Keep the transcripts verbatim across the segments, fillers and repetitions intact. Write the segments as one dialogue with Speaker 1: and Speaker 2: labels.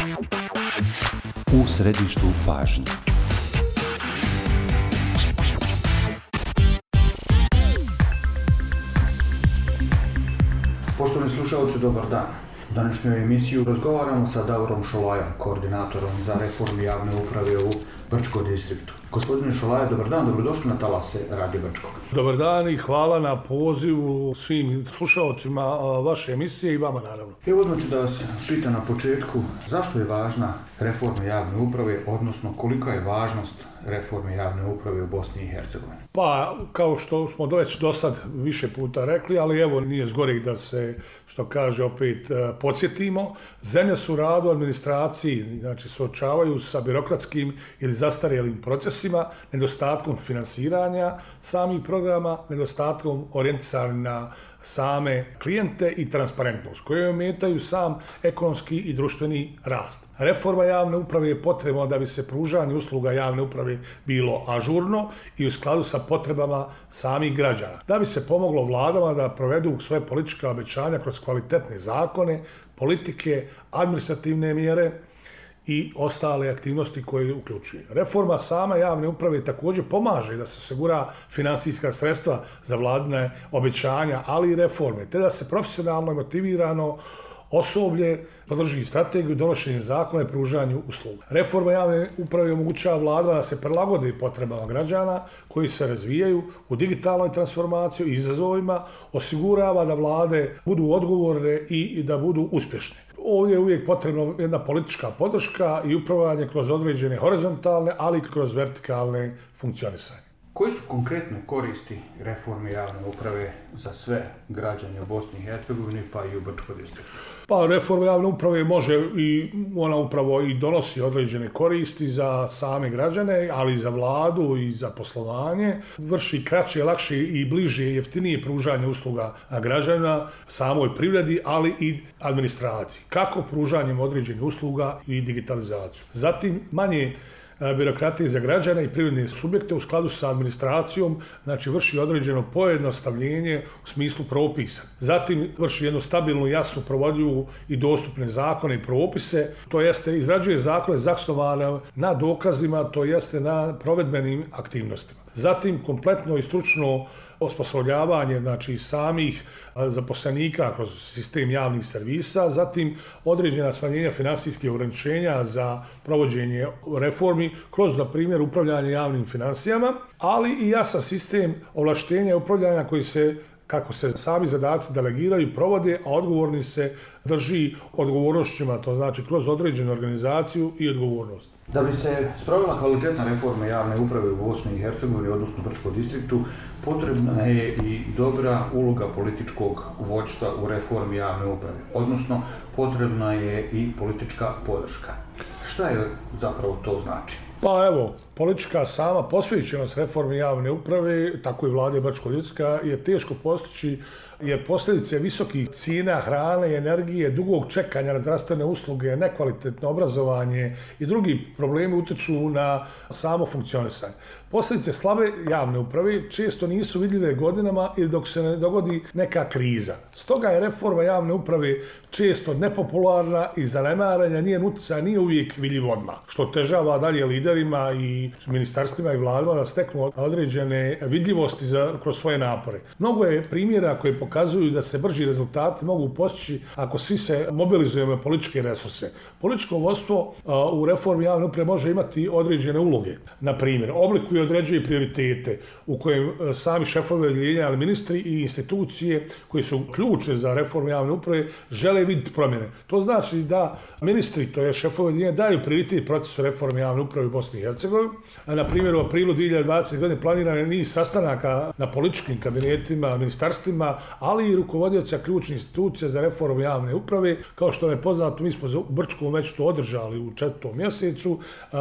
Speaker 1: U središtu pažnje.
Speaker 2: Poštovani slušalci, dobar dan. U današnjoj emisiji razgovaramo sa Davorom Šolajom, koordinatorom za reformu javne uprave u Brčkom distriktu. Gospodine Šolaja, dobar dan, dobrodošli na talase Radio Brčkog.
Speaker 3: Dobar dan i hvala na pozivu svim slušalcima vaše emisije i vama naravno.
Speaker 2: Evo odmah ću da vas pitam na početku, zašto je važna reforma javne uprave, odnosno kolika je važnost reforme javne uprave u Bosni i Hercegovini?
Speaker 3: Pa, kao što smo već do sad više puta rekli, ali evo nije zgorih da se, što kaže, opet podsjetimo. Zemlje su u radu administraciji, znači suočavaju sa birokratskim ili zastarjelim procesima, nedostatkom finansiranja samih programa, nedostatkom orijentisanim na same klijente i transparentnost, koje ometaju sam ekonomski i društveni rast. Reforma javne uprave je potrebna da bi se pružanje usluga javne uprave bilo ažurno i u skladu sa potrebama samih građana. Da bi se pomoglo vladama da provedu svoje politička obećanja kroz kvalitetne zakone, politike, administrativne mjere i ostale aktivnosti koje uključuje. Reforma sama javne uprave također pomaže da se osigura finansijska sredstva za vladine obećanja, ali i reforme, te da se profesionalno i motivirano osoblje podrži strategiju donošenja zakona i pružanju usluga. Reforma javne uprave omogućava vladama da se prilagode potrebama građana koji se razvijaju u digitalnoj transformaciji i izazovima, osigurava da vlade budu odgovorne i da budu uspješne. Ovdje je uvijek potrebna jedna politička podrška i upravljanje kroz određene horizontalne, ali i kroz vertikalne funkcionisanje.
Speaker 2: Koji su konkretne koristi reforme javne uprave za sve građane u Bosni i Hercegovini, pa i u Brčkom distriktu?
Speaker 3: Pa reforma javne uprave može i ona upravo i donosi određene koristi za same građane, ali i za vladu i za poslovanje. Vrši kraće, lakše i bliže i jeftinije pružanje usluga građana samoj privredi, ali i administraciji. Kako pružanjem određenih usluga i digitalizaciju. Zatim manje birokratije za građane i privredne subjekte u skladu sa administracijom, znači vrši određeno pojednostavljenje u smislu propisa. Zatim vrši jednu stabilnu, jasnu, provodljivu i dostupne zakone i propise, to jeste izrađuje zakone zasnovane na dokazima, to jeste na provedbenim aktivnostima. Zatim kompletno i stručno osposobljavanje, znači samih zaposlenika kroz sistem javnih servisa, zatim određena smanjenja finansijskih ograničenja za provođenje reformi kroz, na primjer, upravljanje javnim financijama, ali i jasan sistem ovlaštenja i upravljanja koji se, kako se sami zadaci delegiraju i provode, a odgovorni se drži odgovornošćima, to znači kroz određenu organizaciju i odgovornost.
Speaker 2: Da bi se sprovela kvalitetna reforma javne uprave u Bosni i Hercegovini, odnosno Brčkom distriktu, potrebna je i dobra uloga političkog vođstva u reformi javne uprave, odnosno potrebna je i politička podrška. Šta je zapravo to znači?
Speaker 3: Pa evo, politička sama posvećenost reformi javne uprave, tako i vlade Brčkog distrikta, je teško postići jer posljedice visokih cijena hrane i energije, dugog čekanja na zdravstvene usluge, nekvalitetno obrazovanje i drugi problemi utječu na samo funkcionisanje. Posljedice slabe javne uprave često nisu vidljive godinama ili dok se ne dogodi neka kriza. Stoga je reforma javne uprave često nepopularna i zanemarena, njen utjecaj nije uvijek vidljiv odmah, što otežava dalje liderima i ministarstvima i vladama da steknu određene vidljivosti za, kroz svoje napore. Mnogo je primjera koji pokazuju da se brži rezultati mogu postići ako svi se mobilizujemo političke resurse. Političko vodstvo u reformi javne uprave može imati određene uloge. Na primjer, oblikuje određuje prioritete u kojem sami šefovi odjeljenja, ali ministri i institucije koji su ključne za reformu javne uprave žele vidjeti promjene. To znači da ministri, to je šefovi odjeljenja, daju prioritet procesu reforme javne uprave u Bosni i Hercegovini. Na primjer, u aprilu dvije hiljade dvadesete. godine planiran je niz sastanaka na političkim kabinetima, ministarstvima, ali i rukovodioca ključnih institucija za reformu javne uprave. Kao što je poznato, mi smo u Brčkom već to održali u četvrtom mjesecu.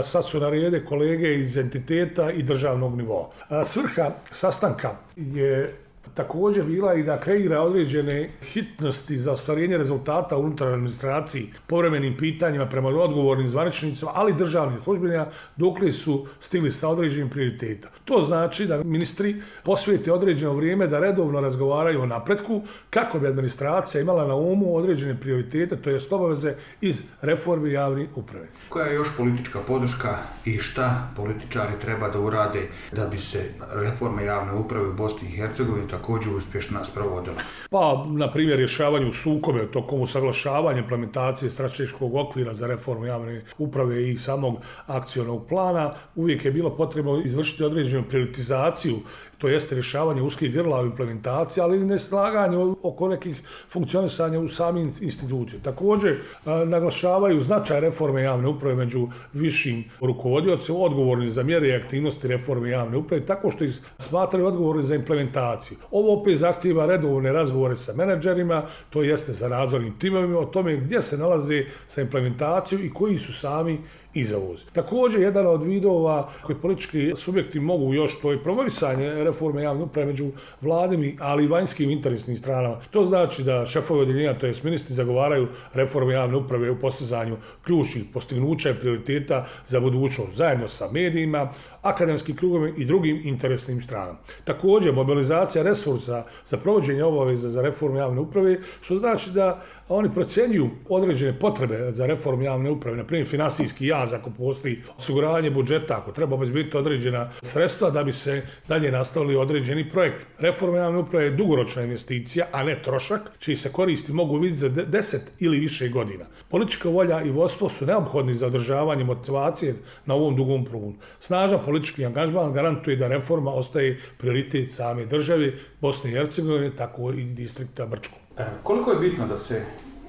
Speaker 3: Sad su na rede kolege iz entiteta i državnog nivoa. Svrha sastanka je također bila i da kreira određene hitnosti za ostvarenje rezultata unutar administraciji, povremenim pitanjima prema odgovornim zvaničnicima, ali državnih službenja, dokle su stigli sa određenim prioriteta. To znači da ministri posvijete određeno vrijeme da redovno razgovaraju o napretku kako bi administracija imala na umu određene prioritete, to jest obaveze iz reforme javne uprave.
Speaker 2: Koja je još politička podrška i šta političari treba da urade da bi se reforma javne uprave u Bosni i Hercegovini također uspješno sprovodila?
Speaker 3: Pa, na primjer, rješavanju sukobe tokom usaglašavanja implementacije strateškog okvira za reformu javne uprave i samog akcionog plana, uvijek je bilo potrebno izvršiti određenu prioritizaciju, to jeste rješavanje uskih grla u implementaciji, ali i neslaganje oko nekih funkcionisanja u samim institucijama. Također, naglašavaju značaj reforme javne uprave među višim rukovodiocima, odgovorni za mjere i aktivnosti reforme javne uprave, tako što ih smatraju odgovorni za implementaciju. Ovo opet zahtijeva redovne razgovore sa menadžerima, to jeste sa nadzornim timovima, o tome gdje se nalaze sa implementacijom i koji su sami izavozi. Također, jedan od vidova koji politički subjekti mogu još, to je promovisanje reforme javne uprave među vladimi, ali i vanjskim interesnim stranama. To znači da šefovi odjeljenja, to jest ministri, zagovaraju reforme javne uprave u postizanju ključnih postignuća i prioriteta za budućnost, zajedno sa medijima, akademskim krugovima i drugim interesnim stranama. Također, mobilizacija resursa za provođenje obaveza za reformu javne uprave, što znači da oni procjenjuju određene potrebe za reformu javne uprave, na primjer finansijski jaz ako postoji, osiguranje budžeta, ako treba obezbediti određena sredstva da bi se dalje nastavili određeni projekt. Reforma javne uprave je dugoročna investicija, a ne trošak, čiji se koristi mogu vidjeti za deset ili više godina. Politička volja i vodstvo su neophodni za održavanje motivacije na ovom dugom prugu. Snažan politički angažman garantuje da reforma ostaje prioritet same države Bosne i Hercegovine, tako i distrikta Brčko.
Speaker 2: E, koliko je bitno da se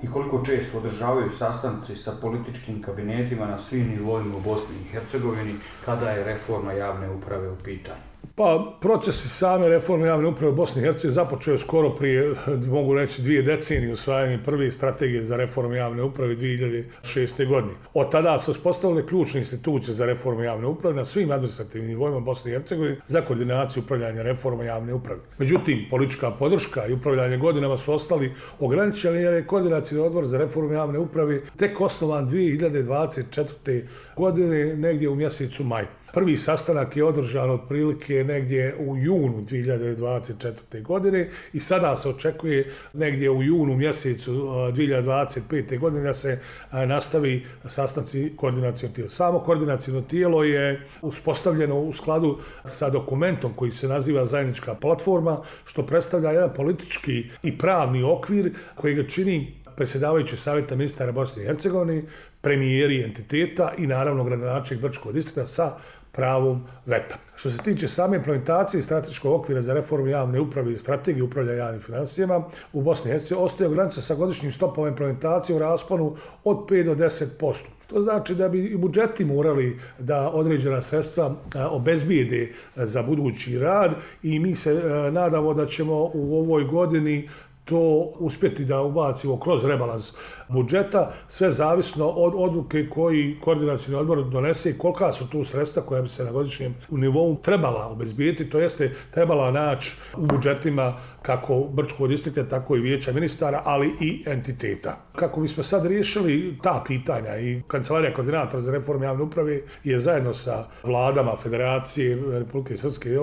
Speaker 2: i koliko često održavaju sastanci sa političkim kabinetima na svim nivoima u Bosni i Hercegovini kada je reforma javne uprave u pitanju?
Speaker 3: Pa, proces same reforme javne uprave u Bosni i Hercegovini započeo je skoro prije, mogu reći, dvije decenije usvajanje prve strategije za reformu javne uprave dvije hiljade šeste. godine. Od tada se uspostavile ključne institucije za reformu javne uprave na svim administrativnim nivoima Bosne i Hercegovine za koordinaciju upravljanja reforma javne uprave. Međutim, politička podrška i upravljanje godinama su ostali ograničeni jer je koordinacijski odbor za reformu javne uprave tek osnovan dvije hiljade dvadeset četvrte. godine negdje u mjesecu maju. Prvi sastanak je održan otprilike negdje u junu dvije hiljade dvadeset četvrte. godine i sada se očekuje negdje u junu mjesecu dvije hiljade dvadeset pete. godine da se nastavi sastanci koordinacijnog tijela. Samo koordinacijno tijelo je uspostavljeno u skladu sa dokumentom koji se naziva zajednička platforma, što predstavlja jedan politički i pravni okvir koji ga čini predsjedavajući savjeta ministara Bosne i Hercegovine, premijeri entiteta i naravno gradonačelnik Brčkog distrikta sa pravom veta. Što se tiče same implementacije strateškog okvira za reformu javne uprave i strategije upravljanja javnim financijama u Bosni i Hercegovini ostaje ograničen sa godišnjim stopama implementacije u rasponu od pet do deset posto. To znači da bi i budžeti morali da određena sredstva obezbijede za budući rad i mi se nadamo da ćemo u ovoj godini to uspjeti da ubacimo kroz rebalans budžeta, sve zavisno od odluke koji koordinacijni odbor donese i kolika su tu sredstva koja bi se na godišnjem nivou trebala obezbijeti, to jeste trebala naći u budžetima kako Brčkog distrikta, tako i vijeća ministara, ali i entiteta. Kako bismo sad riješili ta pitanja i Kancelarija koordinatora za reformu javne uprave je zajedno sa vladama Federacije Republike Srpske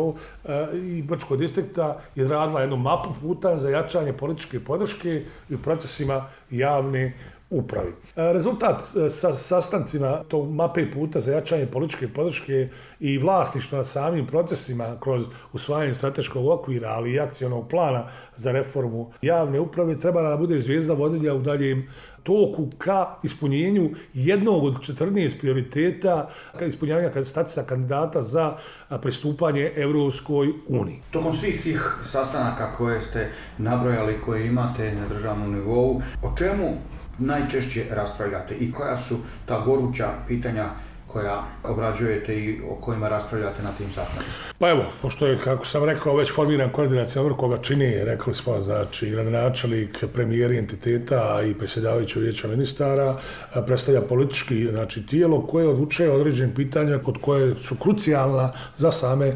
Speaker 3: i Brčkog distrikta izradila jednu mapu puta za jačanje političke podrške i u procesima javne upravi. Rezultat sa sastancima tog mape puta za jačanje političke podrške i vlasništva na samim procesima kroz usvajanje strateškog okvira, ali i akcionog plana za reformu javne uprave treba da bude zvijezda vodilja u daljem toku ka ispunjenju jednog od četrnaest prioriteta ka ispunjavanja statusa kandidata za pristupanje Evropskoj uniji.
Speaker 2: Tokom svih tih sastanaka koje ste nabrojali, koje imate na državnom nivou, o čemu najčešće raspravljate i koja su ta goruća pitanja koja obrađujete i o kojima raspravljate na tim sastancima?
Speaker 3: Pa evo, pošto je, kako sam rekao, već formiran koordinacioni odbor koga čini, rekli smo, znači, gradonačelnik, premijeri entiteta i predsjedavajući vijeća ministara, predstavlja politički, znači, tijelo koje odlučuje o određenim pitanjima kod koje su krucijalna za same e,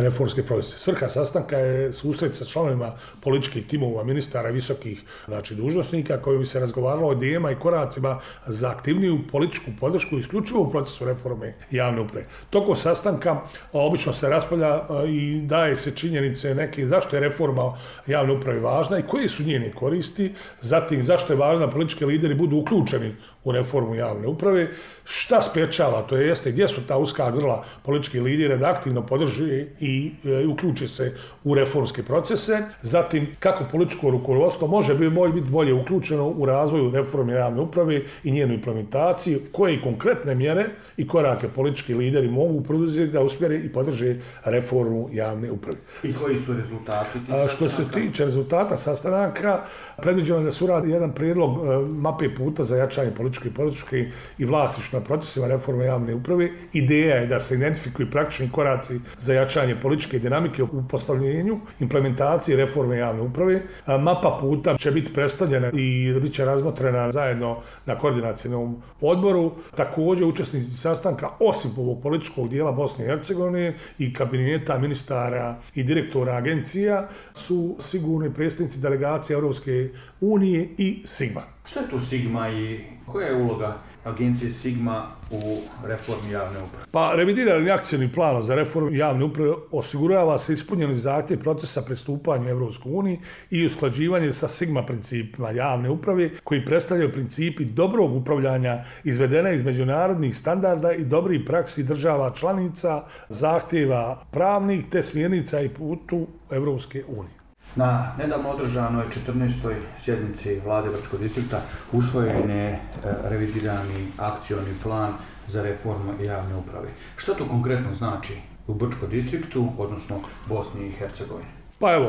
Speaker 3: reformske procese. Svrha sastanka je susret sa članovima političkih timova, ministara i visokih, znači, dužnosnika koji bi se razgovaralo o idejama i koracima za aktivniju političku podršku isključivo u procesu reforme javne uprave. Tokom sastanka obično se raspravlja i daje se činjenice neke zašto je reforma javne uprave važna i koje su njene koristi, zatim zašto je važno da politički lideri budu uključeni u reformu javne uprave, šta sprječava, to je jeste gdje su ta uska grla politički lideri da aktivno podrži i e, uključi se u reformske procese, zatim kako političko rukovodstvo može biti bolje uključeno u razvoju reforme javne uprave i njenu implementaciju, koje konkretne mjere i korake politički lideri mogu poduzeti da usmjere i podrže reformu javne uprave.
Speaker 2: I koji su rezultati tih
Speaker 3: sastanaka? Što se tiče rezultata sastanaka, predviđeno je da se uradi jedan prijedlog e, mape puta za jačanje političke podrške i vlasništva na procesima reforme javne uprave. Ideja je da se identifikuju praktični koraci za jačanje političke dinamike u postavljenju, implementaciji reforme javne uprave. A, mapa puta će biti predstavljena i bit će razmotrena zajedno na koordinacijnom odboru. Također učesnici sastanka, osim ovog političkog dijela Bosne i Hercegovine i kabineta ministara i direktora agencija, su sigurni predstavnici delegacije Europske unije i Sigma.
Speaker 2: Što je tu Sigma i koja je uloga agencije Sigma u reformi javne uprave?
Speaker 3: Pa, revidirani akcijni plan za reformu javne uprave osigurava se ispunjeni zahtjev procesa pristupanja Europskoj uniji i usklađivanje sa Sigma principima javne uprave koji predstavljaju principi dobrog upravljanja izvedena iz međunarodnih standarda i dobrih praksi država članica, zahtjeva pravnih te smjernica i putu Europske unije.
Speaker 2: Na nedavno održanoj četrnaestoj sjednici Vlade Brčkog distrikta usvojen je revidirani akcioni plan za reformu javne uprave. Što to konkretno znači u Brčkom distriktu, odnosno Bosni i Hercegovini?
Speaker 3: Pa evo,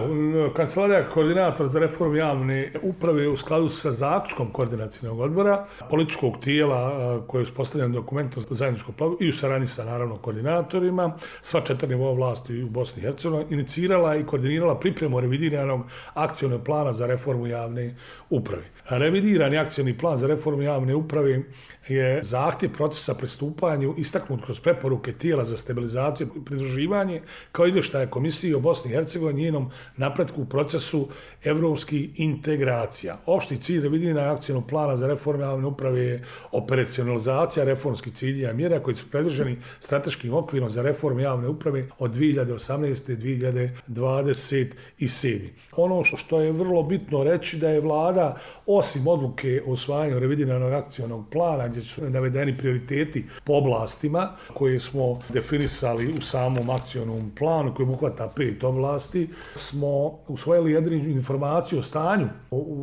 Speaker 3: Kancelarija koordinator za reformu javne uprave u skladu sa zaključkom koordinacijnog odbora, političkog tijela koje je uspostavljeno dokumentom zajedničkog planu i u saradnji sa naravno koordinatorima, sva četiri nivoa vlasti u Bosni i Hercegovini, inicirala i koordinirala pripremu revidiranog akcionog plana za reformu javne uprave. Revidirani akcioni plan za reformu javne uprave je zahtjev procesa pristupanju istaknut kroz preporuke tijela za stabilizaciju i pridruživanje kao izvještaje Komisije o Bosni i Hercegovini njenom napretku u procesu evropskih integracija. Opšti cilj revidiranog akcionog plana za reformu javne uprave je operacionalizacija reformskih ciljeva i mjera koji su predviđeni strateškim okvirom za reformu javne uprave od dvije hiljade osamnaeste do dvije hiljade dvadeset sedme. Ono što je vrlo bitno reći da je vlada osim odluke o usvajanju revidiranog akcionog plana gdje su navedeni prioriteti po oblastima koje smo definisali u samom akcionom planu koji obuhvata pet oblasti, smo usvojili jednu informaciju o stanju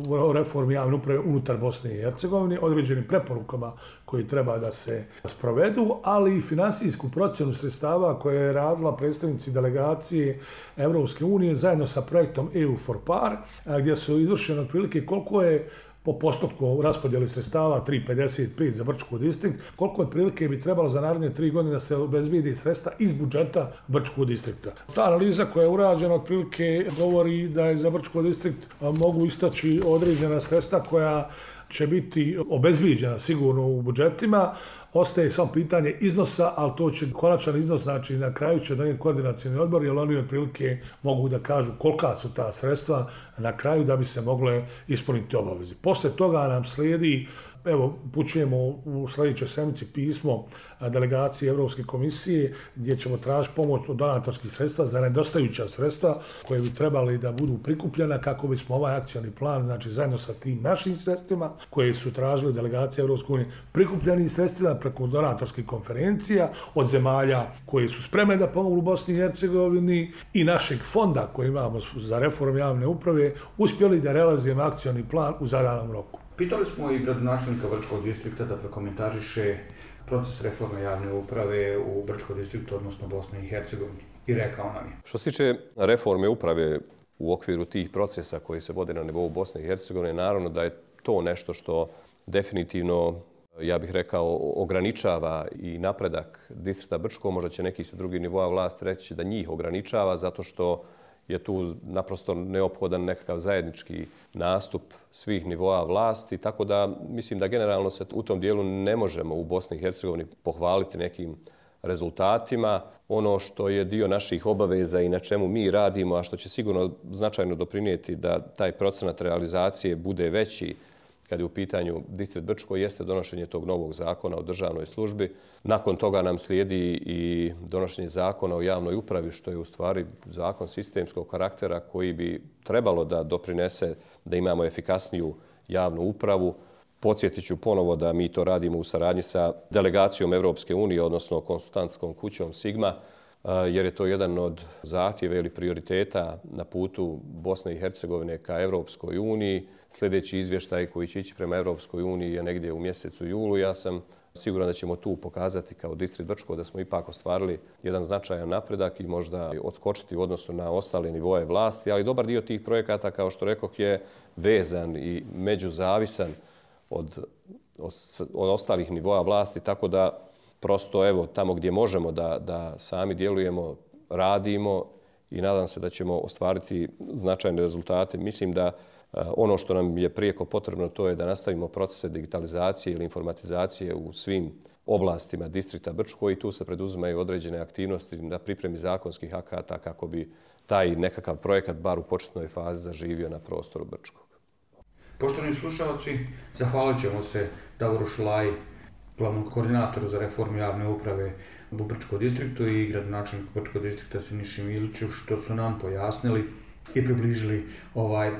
Speaker 3: o reformi javne uprave unutar Bosne i Hercegovine, određenim preporukama koji treba da se sprovedu, ali i finansijsku procjenu sredstava koje je radila predstavnici delegacije Europske unije zajedno sa projektom E U for Par, gdje su izvršene otprilike koliko je po postotku raspodjeli sredstava tri zarez pedeset pet za Brčki distrikt, koliko otprilike bi trebalo za naredne tri godine da se obezbijedi sredstva iz budžeta Brčkog distrikta. Ta analiza koja je urađena otprilike govori da je za Brčki distrikt mogu istaći određena sredstva koja će biti obezbijeđena sigurno u budžetima. Ostaje samo pitanje iznosa, ali to će konačan iznos, znači na kraju će donijeti koordinacijni odbor, jer oni otprilike mogu da kažu kolika su ta sredstva na kraju da bi se mogle ispuniti obaveze. Posle toga nam slijedi, evo, upućujemo u sljedećoj sedmici pismo delegacije Europske komisije gdje ćemo tražiti pomoć od donatorskih sredstva za nedostajuća sredstva koje bi trebali da budu prikupljena kako bismo ovaj akcioni plan, znači zajedno sa tim našim sredstvima koje su tražili delegacije Europske unije, prikupljeni sredstvima preko donatorskih konferencija od zemalja koje su spremne da pomognu Bosni i Hercegovini i našeg fonda koji imamo za reformu javne uprave, uspjeli da realizujemo akcioni plan u zadanom roku.
Speaker 2: Pitali smo i gradonačelnika Brčkog distrikta da prokomentariše proces reforme javne uprave u Brčkom distriktu, odnosno Bosni i Hercegovini. I rekao nam je.
Speaker 4: Što se tiče reforme uprave u okviru tih procesa koji se vode na nivou Bosne i Hercegovine, naravno da je to nešto što definitivno ja bih rekao, ograničava i napredak distrikta Brčko. Možda će neki sa drugih nivoa vlasti reći da njih ograničava zato što je tu naprosto neophodan nekakav zajednički nastup svih nivoa vlasti, tako da mislim da generalno se u tom dijelu ne možemo u Bosni i Hercegovini pohvaliti nekim rezultatima. Ono što je dio naših obaveza i na čemu mi radimo, a što će sigurno značajno doprinijeti da taj procenat realizacije bude veći kad je u pitanju distrikt Brčko, jeste donošenje tog novog zakona o državnoj službi. Nakon toga nam slijedi i donošenje zakona o javnoj upravi, što je u stvari zakon sistemskog karaktera koji bi trebalo da doprinese da imamo efikasniju javnu upravu. Podsjetit ću ponovo da mi to radimo u saradnji sa delegacijom Evropske unije, odnosno konsultantskom kućom Sigma, jer je to jedan od zahtjeva ili prioriteta na putu Bosne i Hercegovine ka Evropskoj uniji. Sljedeći izvještaj koji će ići prema Evropskoj uniji je negdje u mjesecu julu. Ja sam siguran da ćemo tu pokazati kao distrikt Brčko da smo ipak ostvarili jedan značajan napredak i možda odskočiti u odnosu na ostale nivoje vlasti, ali dobar dio tih projekata, kao što rekoh, je vezan i međuzavisan od, od, od ostalih nivoa vlasti, tako da prosto evo tamo gdje možemo da, da sami djelujemo, radimo i nadam se da ćemo ostvariti značajne rezultate. Mislim da ono što nam je prijeko potrebno to je da nastavimo procese digitalizacije ili informatizacije u svim oblastima distrikta Brčko i tu se preduzimaju određene aktivnosti na pripremi zakonskih akata kako bi taj nekakav projekat bar u početnoj fazi zaživio na prostoru Brčkog.
Speaker 2: Poštovani slušalci, zahvalit ćemo se Davoru Šolaji, glavnom koordinatoru za reformu javne uprave u Brčkom distriktu i gradonačelniku Brčkog distrikta Siniši Miliću što su nam pojasnili i približili ovaj uh,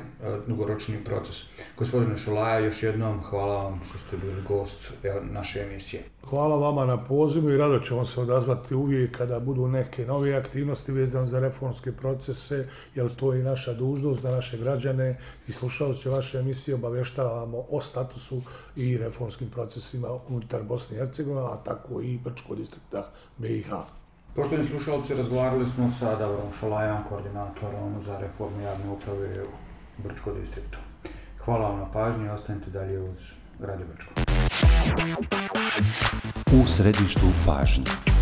Speaker 2: dugoročni proces. Gospodine Šolaja, još jednom hvala vam što ste bili gost naše emisije.
Speaker 3: Hvala vama na pozivu i rado ćemo se odazvati uvijek kada budu neke nove aktivnosti vezane za reformske procese, jer to je i naša dužnost da naše građane i slušalce vaše emisije obavještavamo o statusu i reformskim procesima unutar Bosne i Hercegovine, a tako i Brčkog distrikta B i H.
Speaker 2: Poštovani slušalci, razgovarali smo sa Davorom Šolajom, koordinatorom za reformu javne uprave u Brčkom distriktu. Hvala vam na pažnji i ostanite dalje uz Radio Brčko.
Speaker 1: U središtu pažnje.